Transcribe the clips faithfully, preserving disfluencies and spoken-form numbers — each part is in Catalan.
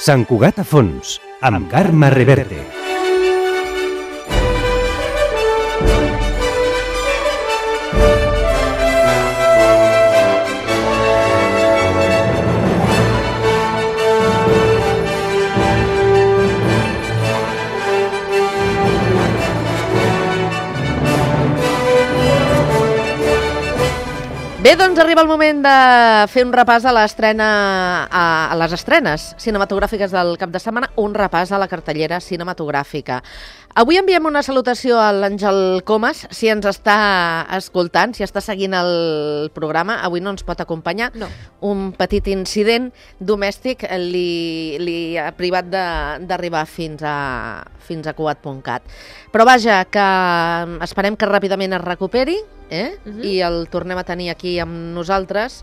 Sant Cugat a fons, amb Carme Reverte. Bé, doncs arriba el moment de fer un repàs a l'estrena, a, a les estrenes cinematogràfiques del cap de setmana, un repàs a la cartellera cinematogràfica. Avui enviem una salutació a l'Àngel Comas, si ens està escoltant, si està seguint el programa. Avui no ens pot acompanyar. No. Un petit incident domèstic li, li ha privat d'arribar fins a, fins a cugat punt cat. Però vaja, que esperem que ràpidament es recuperi, eh? Uh-huh. I el tornem a tenir aquí amb nosaltres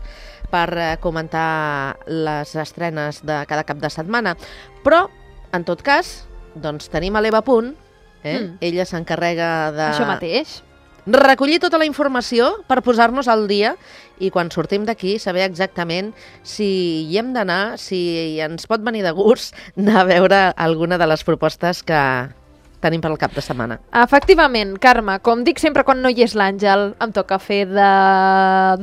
per comentar les estrenes de cada cap de setmana. Però, en tot cas, doncs tenim a l'Eva Punt, eh? Mm. Ella s'encarrega de... Això mateix. Recollir tota la informació per posar-nos al dia i quan sortim d'aquí saber exactament si hi hem d'anar, si ens pot venir de gust anar a veure alguna de les propostes que tenim per al cap de setmana. Efectivament, Carme, com dic sempre quan no hi és l'Àngel, em toca fer de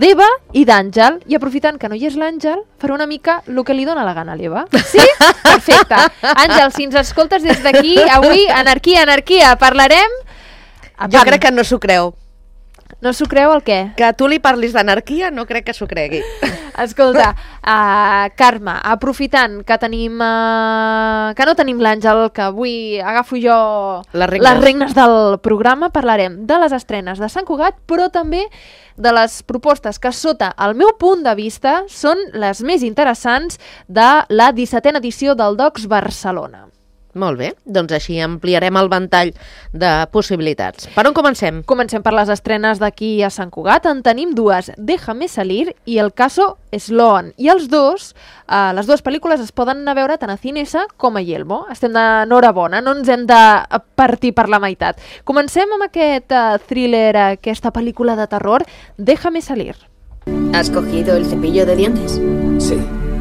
d'Eva i d'Àngel, i aprofitant que no hi és l'Àngel, faré una mica el que li dóna la gana a l'Eva. Sí? Perfecte. Àngel, si ens escoltes des d'aquí, avui, anarquia, anarquia, parlarem... Jo crec que no s'ho creu. No s'ho creu el què? Que tu li parlis d'anarquia no crec que s'ho cregui. Escolta, uh, Carme, aprofitant que tenim uh, que no tenim l'Àngel, que avui agafo jo les regnes. les regnes del programa, parlarem de les estrenes de Sant Cugat, però també de les propostes que, sota el meu punt de vista, són les més interessants de la dissetena edició del Docs Barcelona. Molt bé, doncs així ampliarem el ventall de possibilitats. Per on comencem? Comencem per les estrenes d'aquí a Sant Cugat. En tenim dues, Déjame salir i El caso Sloan. I els dos, eh, les dues pel·lícules es poden anar a veure tant a Cinesa com a Yelmo. Estem d'enhorabona, no ens hem de partir per la meitat. Comencem amb aquest uh, thriller, aquesta pel·lícula de terror, Déjame salir. ¿Has cogido el cepillo de dientes? Sí.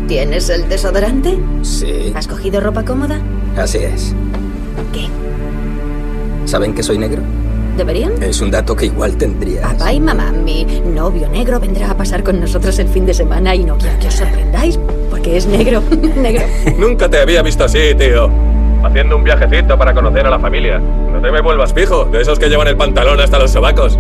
¿Tienes el desodorante? Sí. ¿Has cogido ropa cómoda? Así es. ¿Qué? ¿Saben que soy negro? ¿Deberían? Es un dato que igual tendrías. Papá y mamá, mi novio negro vendrá a pasar con nosotros el fin de semana y no quiero que os sorprendáis porque es negro. Negro. Nunca te había visto así, tío. Haciendo un viajecito para conocer a la familia. No te me vuelvas pijo, de esos que llevan el pantalón hasta los sobacos.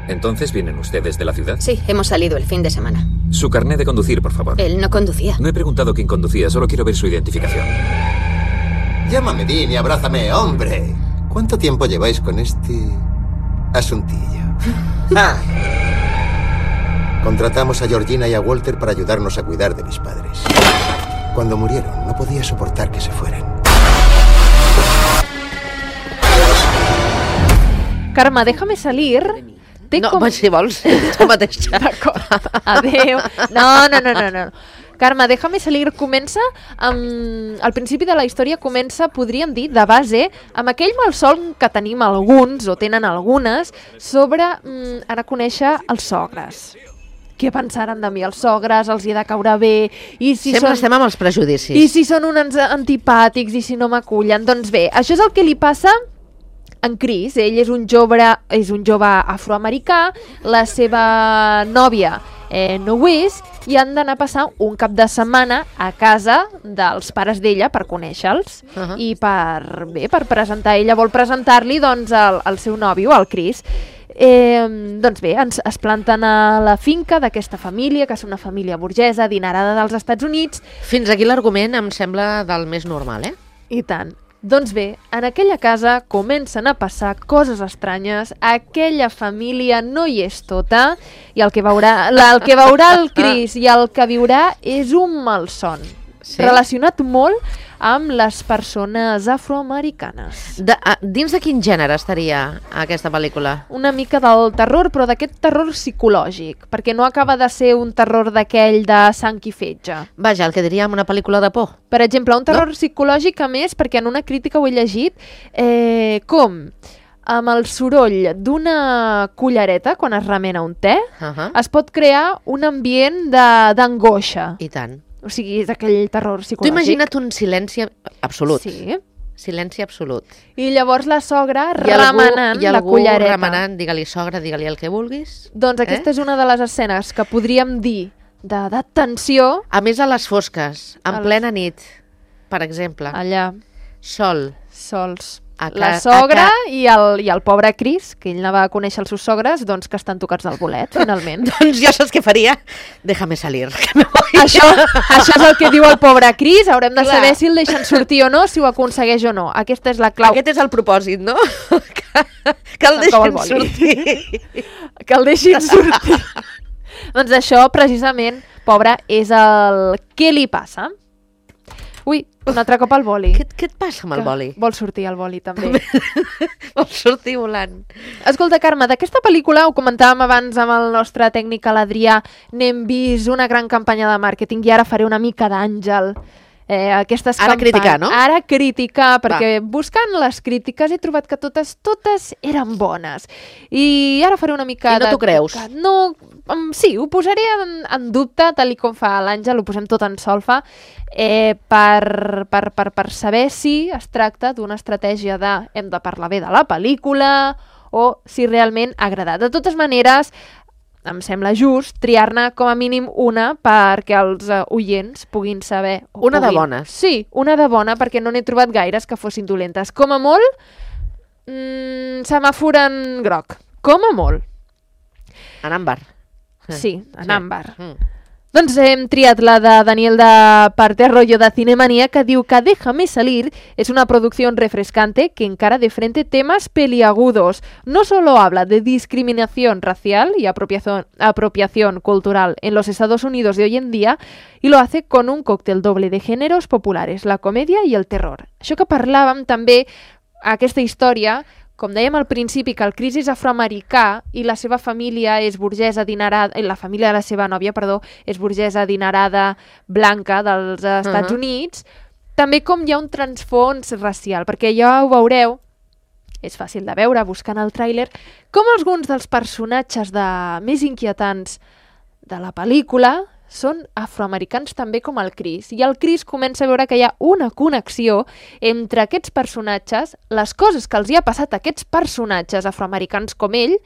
¿Entonces vienen ustedes de la ciudad? Sí, hemos salido el fin de semana. Su carné de conducir, por favor. Él no conducía. No he preguntado quién conducía, solo quiero ver su identificación. Llámame Dean y abrázame, hombre. ¿Cuánto tiempo lleváis con este asuntillo? Ah. Contratamos a Georgina y a Walter para ayudarnos a cuidar de mis padres. Cuando murieron, no podía soportar que se fueran. Carme, Déjame salir... No, com... si vols, tu mateixa. D'acord, adéu. No, no, no, no, no. Carme, Déjame salir comença amb... Al principi de la història comença, podríem dir, de base, amb aquell malson que tenim alguns, o tenen algunes, sobre mm, anar a conèixer els sogres. Què pensaran de mi els sogres, els hi ha de caure bé... I si Sempre són... estem amb els prejudicis. I si són uns antipàtics, i si no m'acullen. Doncs bé, això és el que li passa... En Chris. Ell és un jove, és un jove afroamericà, la seva nòvia eh, no ho és, i han d'anar a passar un cap de setmana a casa dels pares d'ella per conèixer-los. Uh-huh. I per, bé, per presentar, ella vol presentar-li doncs, el, el seu nòvio, el Chris. Eh, doncs bé, ens, es planten a la finca d'aquesta família, que és una família burgesa, adinerada dels Estats Units. Fins aquí l'argument em sembla del més normal, eh? I tant. Doncs bé, en aquella casa comencen a passar coses estranyes, aquella família no hi és tota, i el que veurà, la, el, que veurà el Chris i el que viurà és un malson. Sí? Relacionat molt amb les persones afroamericanes. De, a, dins de quin gènere estaria aquesta pel·lícula? Una mica del terror, però d'aquest terror psicològic, perquè no acaba de ser un terror d'aquell de sang i fetge. Vaja, el que diríem una pel·lícula de por. Per exemple, un terror no? psicològic, a més, perquè en una crítica ho he llegit, eh, com... amb el soroll d'una cullereta quan es remena un te, Uh-huh. es pot crear un ambient de- d'angoixa. I tant. O sigui, és aquell terror Tu psicològic. imagina't un silenci absolut. Sí. Silenci absolut. I llavors la sogra I algú, remenant i la algú cullereta. remenant, digue-li sogra, digue-li el que vulguis. Doncs aquesta Eh? és una de les escenes que podríem dir de, de tensió A més, a les fosques, en A les- plena nit, per exemple, allà, sol. sols. A ca- La sogra a i, el, i el pobre Chris, que ell anava a conèixer els seus sogres, doncs que estan tocats del bolet, finalment. Doncs jo saps què faria? Déjame salir, que me voy. això, això és el que diu el pobre Chris, haurem de Clar. saber si el deixen sortir o no, si ho aconsegueix o no. Aquesta és la clau. Aquest és el propòsit, no? que, que el Em cau el deixen boli. sortir. Que el deixin sortir. Doncs això, precisament, pobre, és el... Què li passa? Ui, un altre cop el boli. Què, què et passa amb el Que boli? Vol sortir el boli, també. Vol sortir volant. Escolta, Carme, d'aquesta pel·lícula, ho comentàvem abans amb el nostre tècnic, l'Adrià, n'hem vist una gran campanya de màrqueting i ara faré una mica d'àngel. Eh, aquestes Ara campanyes- criticar, no? Ara criticar, perquè buscant les crítiques he trobat que totes totes eren bones. I ara faré una mica I no de... t'ho creus? No, um, sí, ho posaré en, en dubte, tal i com fa l'Àngel, ho posem tot en solfa, eh, per, per, per, per saber si es tracta d'una estratègia de hem de parlar bé de la pel·lícula o si realment ha agradat. De totes maneres, em sembla just triar-ne com a mínim una perquè els uh, oients puguin saber... o Una de puguin... bones. Sí, una de bona, perquè no n'he trobat gaires que fossin dolentes. Com a molt, mmm, semàfor en groc. Com a molt. En àmbar. Sí, en Sí. àmbar. Mm. Doncs hem triat la de Daniel de Parterrollo de Cinemanía, que diu que Déjame salir es una producción refrescante que encara de frente temas peliagudos. No solo habla de discriminación racial y apropiación, apropiación cultural en los Estados Unidos de hoy en día, y lo hace con un cóctel doble de géneros populares, la comedia i el terror. Això que parlàvem també, aquesta història, com dèiem al principi, que el Chris és afroamericà i la seva família és burgesa adinerada, la família de la seva nòvia, perdó, és burgesa adinerada blanca dels Estats Uh-huh. Units, també com hi ha un transfons racial, perquè ja ho veureu, és fàcil de veure buscant el tràiler, com alguns dels personatges de més inquietants de la pel·lícula són afroamericans també com el Chris. I el Chris comença a veure que hi ha una connexió entre aquests personatges, les coses que els hi ha passat a aquests personatges afroamericans com ell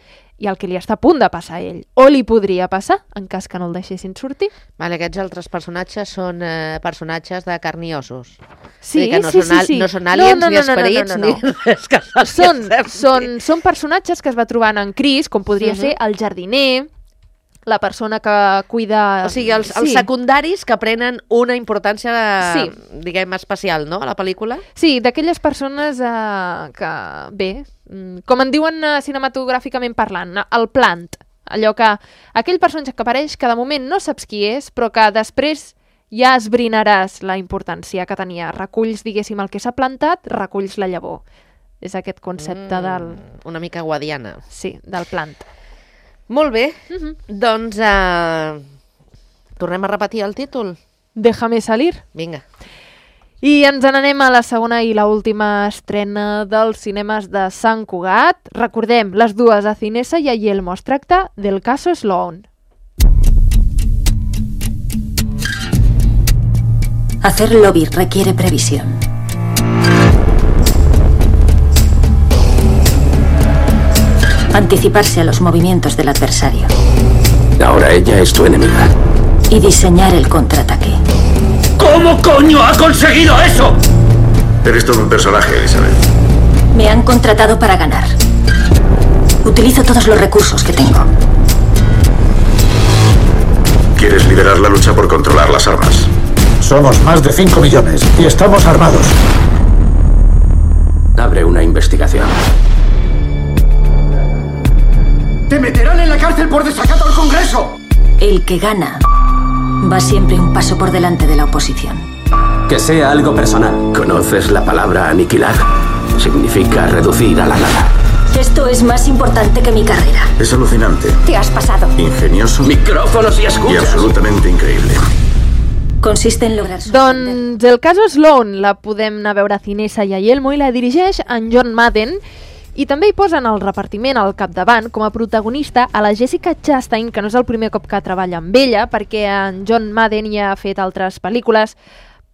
i el que li està a punt de passar a ell. O li podria passar, en cas que no el deixessin sortir. Vale, aquests altres personatges són eh, personatges de carn i ossos. Sí, Vull dir que no sí, són, al- sí, sí. no són aliens, No, no, ni no, no, no, esperits, no, no, no. ni res que se'ls Són, sembli. són, són personatges que es va trobant en Chris, com podria Mhm. ser el jardiner, la persona que cuida... O sigui, els, els Sí. secundaris que prenen una importància, Sí. diguem, especial, no?, a la pel·lícula. Sí, d'aquelles persones eh, que, bé, mm, com en diuen eh, cinematogràficament parlant, el plant. Allò que, aquell personatge que apareix que de moment no saps qui és, però que després ja esbrinaràs la importància que tenia. Reculls, diguéssim, el que s'ha plantat, reculls la llavor. És aquest concepte Mm, del... Una mica guadiana. Sí, del plant. Molt bé, Mhm. doncs eh, tornem a repetir el títol. Déjame salir. Vinga. I ens n'anem a la segona i la última estrena dels cinemes de Sant Cugat. Recordem, les dues, a Cinesa i a Yelmo. Es tracta del caso Sloan. Hacer lobby requiere previsión. Anticiparse a los movimientos del adversario Ahora ella es tu enemiga. y diseñar el contraataque. ¿Cómo coño ha conseguido eso? Eres todo un personaje, Elizabeth. Me han contratado para ganar. Utilizo todos los recursos que tengo. ¿Quieres liderar la lucha por controlar las armas? Somos más de cinco millones y estamos armados. Abre una investigación. ¡Te meterán en la cárcel por desacato al Congreso! El que gana va siempre un paso por delante de la oposición. Que sea algo personal. ¿Conoces la palabra aniquilar? Significa reducir a la nada. Esto es más importante que mi carrera. Es alucinante, Te has pasado. ingenioso Micrófonos y y escuchas. absolutamente increíble. Consiste en lograr sorprender. Doncs el cas Sloan la podem anar a veure a Cinesa i a Yelmo i la dirigeix en John Madden I també hi posen el repartiment al capdavant com a protagonista a la Jessica Chastain, que no és el primer cop que treballa amb ella, perquè en John Madden ja ha fet altres pel·lícules,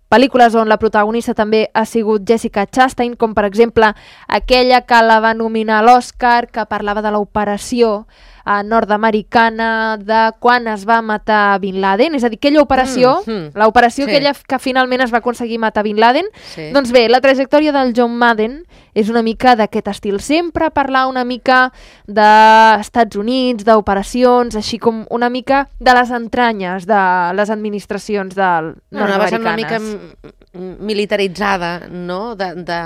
pel·lícules on la protagonista també ha sigut Jessica Chastain, com per exemple aquella que la va nominar a l'Oscar, que parlava de l'operació eh, nord-americana de quan es va matar Bin Laden, és a dir, aquella operació, mm, mm. l'operació sí. aquella que finalment es va aconseguir matar Bin Laden. Sí. Doncs bé, la trajectòria del John Madden és una mica d'aquest estil, sempre parlar una mica d'Estats Units, d'operacions, així com una mica de les entranyes de les administracions del no, nord-americanes. Una mica militaritzada, no? De, de,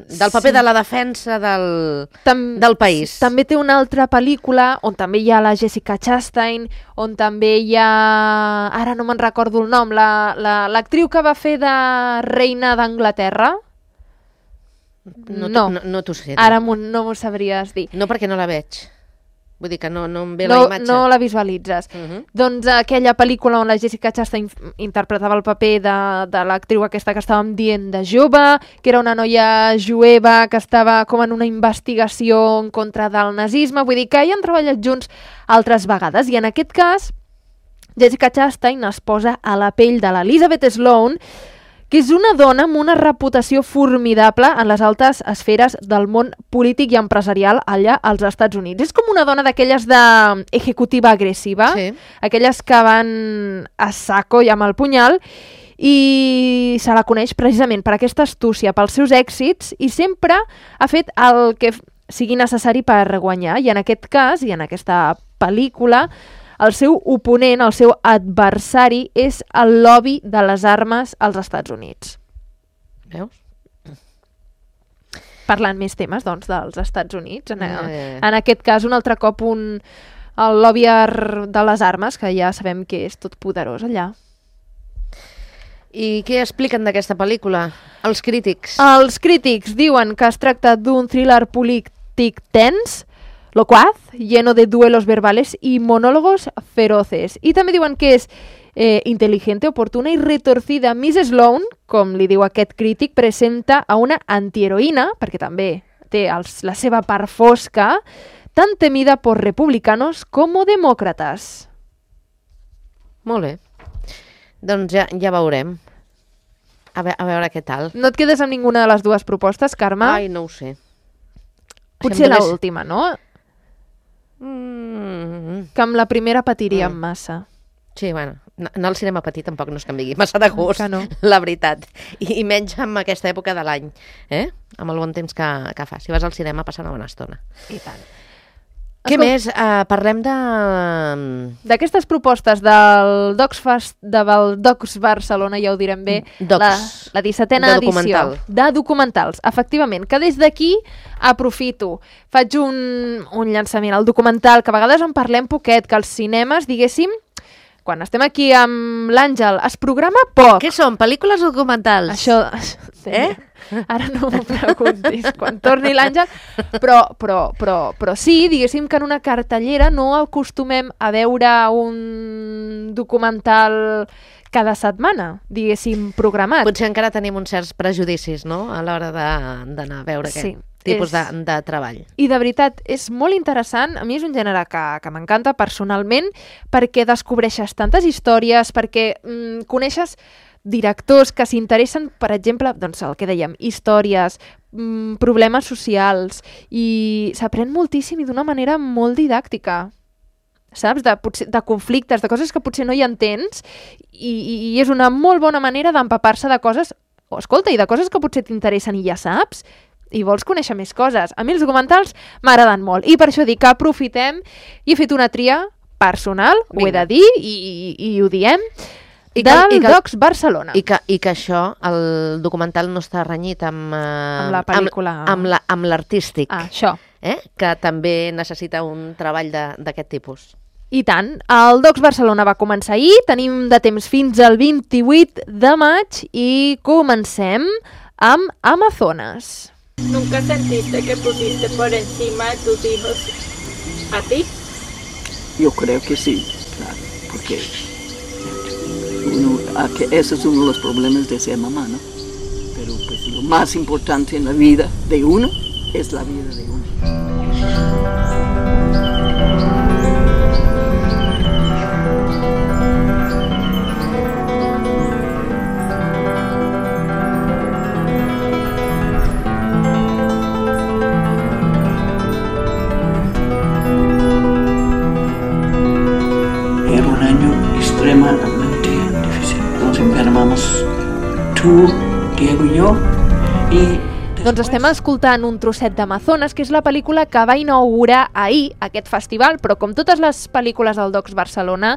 del paper sí. de la defensa del, Tam, del país. També té una altra pel·lícula on també hi ha la Jessica Chastain, on també hi ha... Ara no me'n recordo el nom, l'actriu la, la, que va fer de reina d'Anglaterra. No, no, no, no t'ho sé. Ara no m'ho sabries dir. No, perquè no la veig. Vull dir que no, no em ve no, la imatge. No la visualitzes. Uh -huh. Doncs aquella pel·lícula on la Jessica Chastain interpretava el paper de, de l'actriu aquesta que estàvem dient de jove, que era una noia jueva que estava com en una investigació en contra del nazisme. Vull dir que hi han treballat junts altres vegades. I en aquest cas, Jessica Chastain es posa a la pell de l'Elizabeth Sloane, que és una dona amb una reputació formidable en les altes esferes del món polític i empresarial allà als Estats Units. És com una dona d'aquelles d'executiva agressiva, sí. aquelles que van a saco i amb el punyal, i se la coneix precisament per aquesta astúcia, pels seus èxits, i sempre ha fet el que sigui necessari per guanyar. I en aquest cas, i en aquesta pel·lícula, el seu oponent, el seu adversari, és el lobby de les armes als Estats Units. Veus? Parlant més temes, doncs, dels Estats Units. En, eh. en aquest cas, un altre cop, un, el lobby de les armes, que ja sabem que és tot poderós allà. I què expliquen d'aquesta pel·lícula? Els crítics. Els crítics diuen que es tracta d'un thriller polític tens, locuaz, lleno de duelos verbales y monólogos feroces. I també diuen que és eh, inteligente, oportuna i retorcida. Miss Sloane, com li diu aquest crític, presenta a una antiheroïna, perquè també té els, la seva part fosca, tan temida por republicanos como demócratas. Molt bé. Doncs ja, ja veurem. A, ve a veure què tal. No et quedes amb ninguna de les dues propostes, Carme? Ai, no ho sé. Potser l'última, no? Mm. Que amb la primera patiríem mm. massa. Sí, bueno, anar al cinema petit tampoc no es que em digui massa de gust, no. La veritat. I, I menys en aquesta època de l'any, eh? Amb el bon temps que, que fa. Si vas al cinema, passa una bona estona. I tant. Què Escolta, més? Uh, parlem de... D'aquestes propostes del Docs, Fast, del Docs Barcelona, ja ho direm bé, Docs, la, la dissetena de edició documental. De documentals, efectivament, que des d'aquí aprofito, faig un, un llançament al documental, que a vegades en parlem poquet, que als cinemes, diguéssim, quan estem aquí amb l'Àngel, es programa poc. Què són? Pel·lícules o documentals? Això... Eh? Ara no m'ho preguntis, quan torni l'Àngel, però, però, però, però sí, diguéssim que en una cartellera no acostumem a veure un documental cada setmana, diguéssim, programat. Potser encara tenim uns certs prejudicis, no?, a l'hora d'anar a veure sí, aquest tipus és... de, de treball. I de veritat, és molt interessant, a mi és un gènere que, que m'encanta personalment, perquè descobreixes tantes històries, perquè mm, coneixes directors que s'interessen, per exemple, doncs el que dèiem, històries, mmm, problemes socials, i s'aprèn moltíssim i d'una manera molt didàctica, saps? De, potser, de conflictes, de coses que potser no hi entens, i, i, i és una molt bona manera d'empapar-se de coses, o escolta, i de coses que potser t'interessen i ja saps, i vols conèixer més coses. A mi els documentals m'agraden molt, i per això dic que aprofitem, i he fet una tria personal, Vinga. Ho he de dir, i, i, i ho diem, I que, del i que, Docs Barcelona. I que, I que això, el documental no està renyit amb... Eh, amb la pel·lícula. Amb l'artístic. Ah, això. Eh? Que també necessita un treball d'aquest tipus. I tant. El Docs Barcelona va començar ahir, tenim de temps fins al vint-i-vuit de maig i comencem amb Amazonas. ¿Nunca sentiste que pusiste por encima de tus hijos a ti? Yo creo que sí, claro, porque... Uno, que ese es uno de los problemas de ser mamá, ¿no? Pero pues lo más importante en la vida de uno es la vida de uno. Era un año extremadamente difícil. Nos enfermamos, tú, Diego y yo, y doncs estem escoltant un trosset d'Amazones, que és la pel·lícula que va inaugurar ahir aquest festival, però com totes les pel·lícules del Docs Barcelona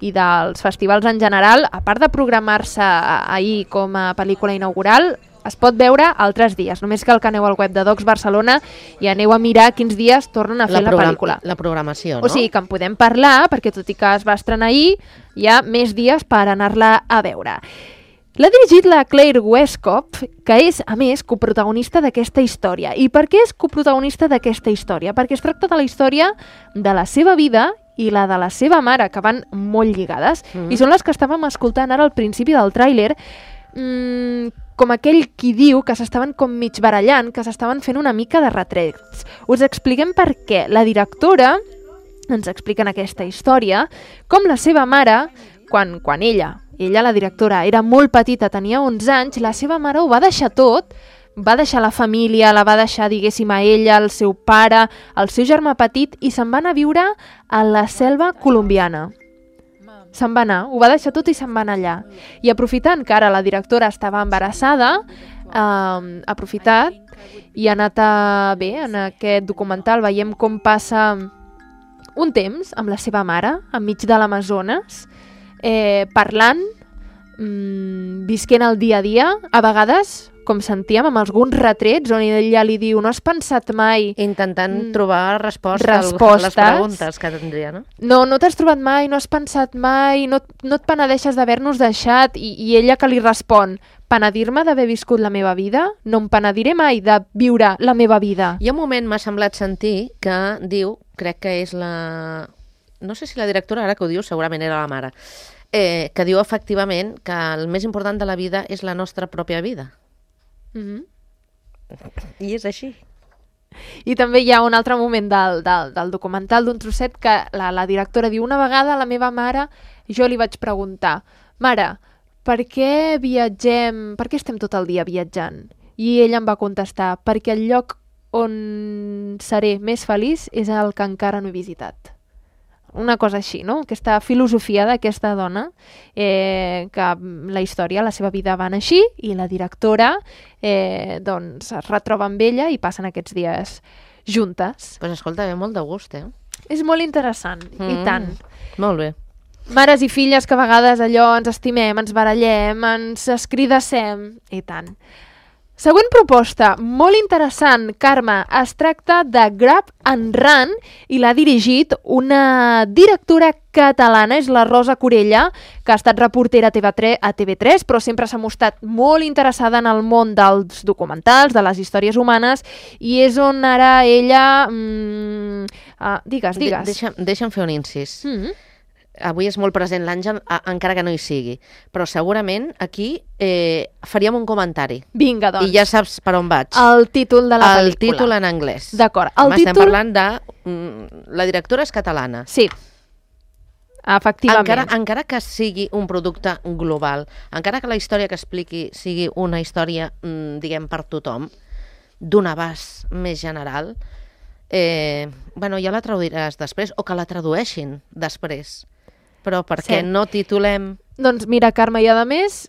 i dels festivals en general, a part de programar-se ahir com a pel·lícula inaugural, es pot veure altres dies. Només cal que aneu al web de Docs Barcelona i aneu a mirar quins dies tornen a fer la, la pel·lícula. La programació, no? O sigui que en podem parlar, perquè tot i que es va estrenar ahir, hi ha més dies per anar-la a veure. L'ha dirigit la Claire Westcott, que és, a més, coprotagonista d'aquesta història. I per què és coprotagonista d'aquesta història? Perquè es tracta de la història de la seva vida i la de la seva mare, que van molt lligades. Mm. I són les que estàvem escoltant ara al principi del tràiler, mmm, com aquell qui diu que s'estaven com mig barallant, que s'estaven fent una mica de retrets. Us expliquem per què. La directora ens explica en aquesta història com la seva mare, quan, quan ella... Ella, la directora, era molt petita, tenia onze anys, la seva mare ho va deixar tot, va deixar la família, la va deixar, diguéssim, a ella, el seu pare, el seu germà petit, i se'n va anar a viure a la selva colombiana. Se'n va anar, ho va deixar tot i se'n va anar allà. I aprofitant que ara la directora estava embarassada, eh, ha aprofitat i ha anat a... Bé, en aquest documental veiem com passa un temps amb la seva mare, enmig de l'Amazones, Eh, parlant, mmm, visquent el dia a dia, a vegades, com sentíem, amb alguns retrets on ella li diu, no has pensat mai... Intentant mm, trobar resposta respostes. a les preguntes que tindria, no? No, no t'has trobat mai, no has pensat mai, no, no et penedeixes d'haver-nos deixat, i, i ella que li respon, penedir-me d'haver viscut la meva vida? No em penediré mai de viure la meva vida. Hi ha un moment, m'ha semblat sentir, que diu, crec que és la... No sé si la directora, ara que ho diu, segurament era la mare, eh, que diu efectivament que el més important de la vida és la nostra pròpia vida. Mm-hmm. I és així. I també hi ha un altre moment del, del, del documental d'un trosset que la, la directora diu, una vegada a la meva mare jo li vaig preguntar, mare, per què viatgem, per què estem tot el dia viatjant? I ella em va contestar, perquè el lloc on seré més feliç és el que encara no he visitat. Una cosa així, no? Aquesta filosofia d'aquesta dona, eh, que la història, la seva vida van així, i la directora eh, doncs es retroba amb ella i passen aquests dies juntes. Doncs pues escolta, ve molt de gust, eh? És molt interessant, mm, i tant. Molt bé. Mares i filles que a vegades allò ens estimem, ens barallem, ens escridassem, i tant. Següent proposta, molt interessant, Carme, es tracta de Grab and Run i l'ha dirigit una directora catalana, és la Rosa Corella, que ha estat reportera a T V tres, però sempre s'ha mostrat molt interessada en el món dels documentals, de les històries humanes, i és on ara ella... Mm, uh, digues, digues. De deixa'm, deixa'm fer un incís. Mm-hmm. Avui és molt present l'Àngel, encara que no hi sigui, però segurament aquí eh, faríem un comentari. Vinga, doncs. I ja saps per on vaig. El títol de la el pel·lícula. El títol en anglès. D'acord. Estem títol... parlant de... Mm, la directora és catalana. Sí, efectivament. Encara, encara que sigui un producte global, encara que la història que expliqui sigui una història, mm, diguem, per tothom, d'un abast més general, eh, bueno, ja la traduiràs després, o que la tradueixin després. Però per què sí. no titulem... Doncs mira, Carme, i a més,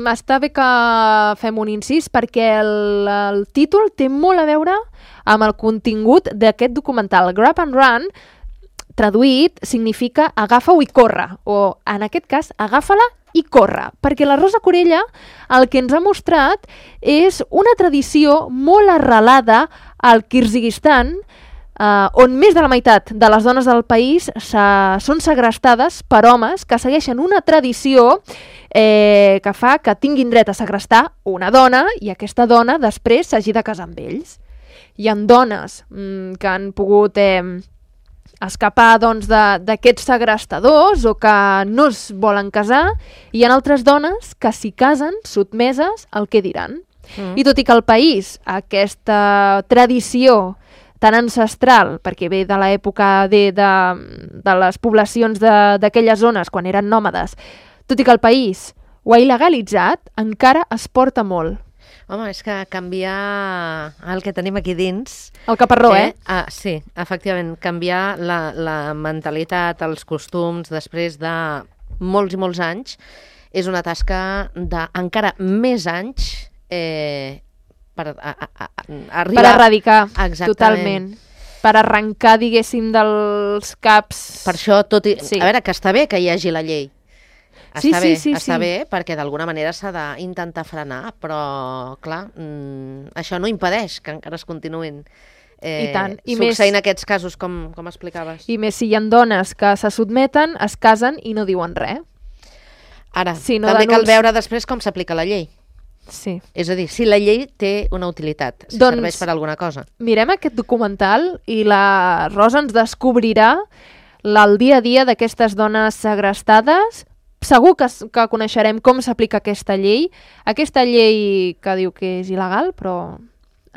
està bé que fem un incís perquè el, el títol té molt a veure amb el contingut d'aquest documental. Grab and Run, traduït, significa agafa-ho i corre, o en aquest cas, agafa-la i corre, perquè la Rosa Corella el que ens ha mostrat és una tradició molt arrelada al Kirguizistan, Uh, on més de la meitat de les dones del país són segrestades per homes que segueixen una tradició eh, que fa que tinguin dret a segrestar una dona i aquesta dona després s'hagi de casar amb ells. Hi ha dones mm, que han pogut eh, escapar doncs, d'aquests segrestadors o que no es volen casar, i hi ha altres dones que s'hi casen sotmeses al que diran. Mm. I tot i que al país aquesta tradició tan ancestral, perquè ve de l'època de, de, de les poblacions d'aquelles zones, quan eren nòmades, tot i que el país ho ha il·legalitzat, encara es porta molt. Home, és que canviar el que tenim aquí dins... El caparró, eh? eh? Ah, sí, efectivament, canviar la, la mentalitat, els costums, després de molts i molts anys, és una tasca d'encara més anys eh, per a, a, a, arribar... Per erradicar, exactament. Totalment. Per arrencar, diguéssim, dels caps... Per això, tot i... Sí. A veure, que està bé que hi hagi la llei. Està sí, bé, sí, sí, està sí. bé, perquè d'alguna manera s'ha d'intentar frenar, però, clar, mmm, això no impedeix que encara es continuïn eh, I tant. I succeint més, aquests casos, com, com explicaves. I més si hi ha dones que se sotmeten, es casen i no diuen res. Ara, si no també denuns... cal veure després com s'aplica la llei. Sí. És a dir, si la llei té una utilitat, si doncs, serveix per alguna cosa. Mirem aquest documental i la Rosa ens descobrirà el dia a dia d'aquestes dones segrestades. Segur que, que coneixerem com s'aplica aquesta llei. Aquesta llei que diu que és il·legal, però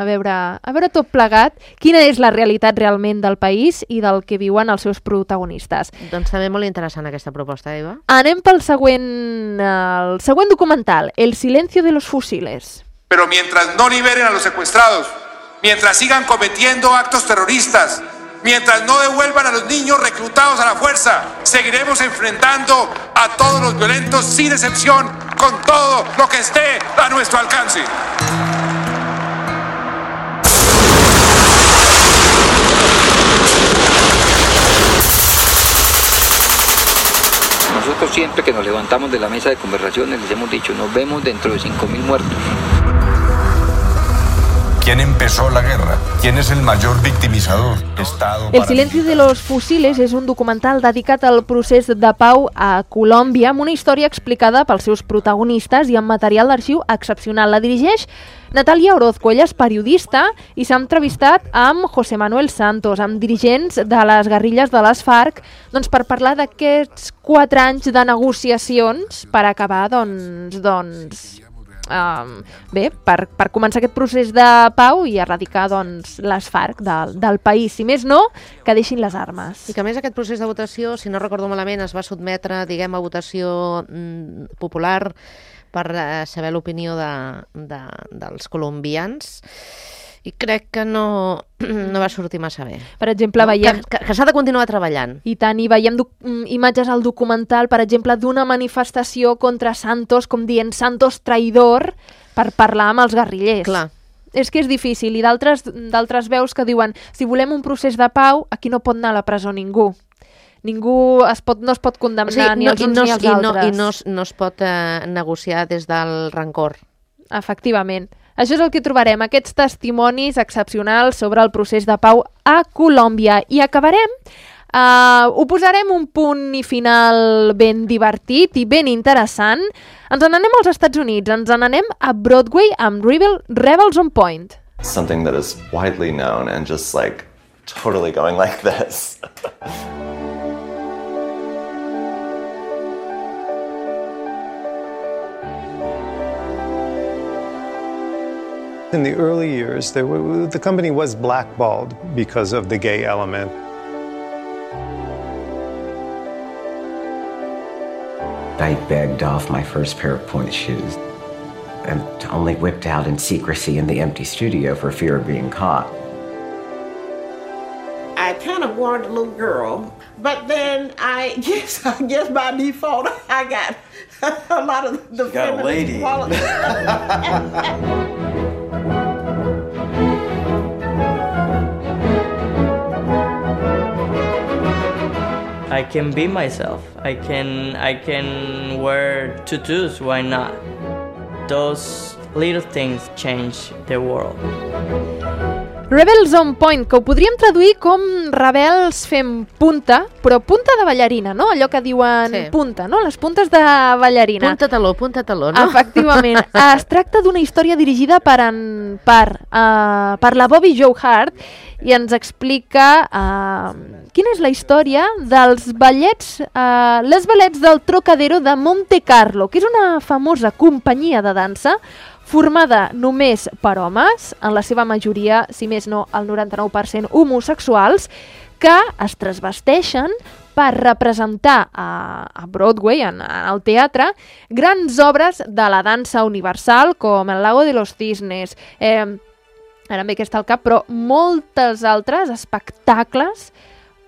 a veure, a veure tot plegat quina és la realitat realment del país i del que viuen els seus protagonistes. Doncs també molt interessant aquesta proposta, Eva. Anem pel següent, el següent documental, El silencio de los fusiles. Pero mientras no liberen a los secuestrados, mientras sigan cometiendo actos terroristas, mientras no devuelvan a los niños reclutados a la fuerza, seguiremos enfrentando a todos los violentos sin excepción, con todo lo que esté a nuestro alcance. Nosotros siempre que nos levantamos de la mesa de conversaciones les hemos dicho, nos vemos dentro de cinco mil muertos. ¿Quién empezó la guerra? ¿Quién es el mayor victimizador? Estado, El silencio de los fusiles és un documental dedicat al procés de pau a Colòmbia amb una història explicada pels seus protagonistes i amb material d'arxiu excepcional. La dirigeix Natàlia Orozco, ella és periodista i s'ha entrevistat amb José Manuel Santos, amb dirigents de les guerrilles de les FARC, doncs, per parlar d'aquests quatre anys de negociacions per acabar, doncs, doncs Um, bé, per, per començar aquest procés de pau i erradicar doncs, les FARC del, del país. Si més no, que deixin les armes. I que a més aquest procés de votació, si no recordo malament, es va sotmetre, diguem, a votació mm, popular per eh, saber l'opinió de, de, dels colombians. I crec que no, no va sortir massa bé. Per exemple, no? veiem... Que, que, que s'ha de continuar treballant. I tant, i veiem imatges al documental, per exemple, d'una manifestació contra Santos, com dient Santos traïdor, per parlar amb els guerrillers. Clar. És que és difícil, i d'altres veus que diuen si volem un procés de pau, aquí no pot anar a la presó ningú. Ningú es pot, no es pot condemnar, o sigui, ni no, els uns no, ni els i altres. No, I no, no es pot eh, negociar des del rancor. Efectivament. Això és el que trobarem, aquests testimonis excepcionals sobre el procés de pau a Colòmbia. I acabarem, uh, ho posarem un punt i final ben divertit i ben interessant. Ens n'anem als Estats Units, ens n'anem a Broadway amb Rebel, Rebels on Point. Something that is widely known and just like totally going like this. In the early years, there were, the company was blackballed because of the gay element. I begged off my first pair of pointe shoes and only whipped out in secrecy in the empty studio for fear of being caught. I kind of wanted a little girl, but then I guess I guess by default I got a lot of the feminine qualities. I can be myself. I can I can wear tutus, why not? Those little things change the world. Rebels on Point, que ho podríem traduir com rebels fent punta, però punta de ballarina, no? Allò que diuen sí. punta, no? Les puntes de ballarina. Punta taló, punta taló, no? Efectivament. Es tracta d'una història dirigida per, en, per, uh, per la Bobby Jo Hart i ens explica uh, quina és la història dels ballets, uh, les ballets del Trocadero de Monte Carlo, que és una famosa companyia de dansa formada només per homes, en la seva majoria, si més no, el noranta-nou per cent homosexuals, que es transvesteixen per representar a, a Broadway, en, en el teatre, grans obres de la dansa universal, com El lago de los cisnes, eh, ara em ve aquesta al cap, però moltes altres espectacles,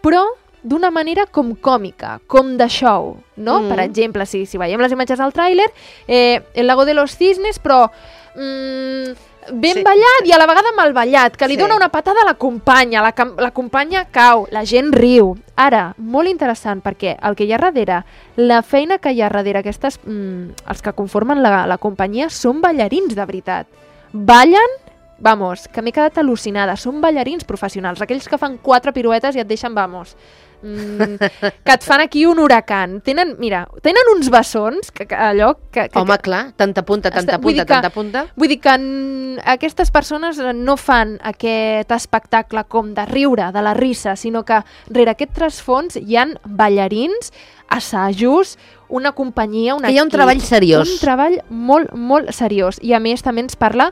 però d'una manera com còmica, com de show, no? Mm. Per exemple, si, si veiem les imatges al tràiler, eh, El lago de los cisnes, però mm, ben sí. ballat i a la vegada mal ballat, que li sí. dona una patada a la companya, la, la companya cau, la gent riu. Ara, molt interessant, perquè el que hi ha darrere, la feina que hi ha darrere, aquestes, mm, els que conformen la, la companyia, són ballarins de veritat. Ballen, vamos, que m'he quedat al·lucinada, són ballarins professionals, aquells que fan quatre piruetes i et deixen, vamos, mm, que et fan aquí un huracan. Tenen, mira, tenen uns bessons, que, que allò... Que, que, Home, que, clar, tanta punta, tanta punta, tanta punta. Vull dir que n, aquestes persones no fan aquest espectacle com de riure, de la risa, sinó que rere aquest trasfons hi han ballarins, assajos, una companyia, un equip. Que hi ha un treball seriós. Un treball molt, molt seriós. I a més també ens parla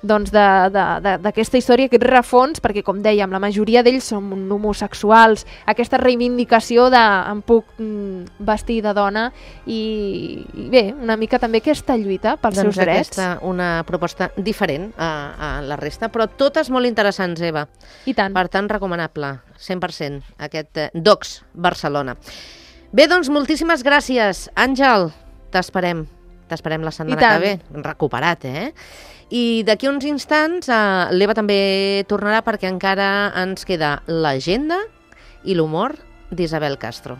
doncs, d'aquesta història, aquest rerefons, perquè com dèiem, la majoria d'ells són homosexuals, aquesta reivindicació de em puc vestir de dona i, i bé, una mica també aquesta lluita pels doncs seus drets. Aquesta, una proposta diferent a, a la resta, però totes molt interessants, Eva. I tant. Per tant, recomanable, cent per cent, aquest eh, Docs Barcelona. Bé, doncs, moltíssimes gràcies. Àngel, t'esperem. T'esperem la setmana que ve. Recuperat, eh? I d'aquí uns instants eh, l'Eva també tornarà perquè encara ens queda l'agenda i l'humor d'Isabel Castro.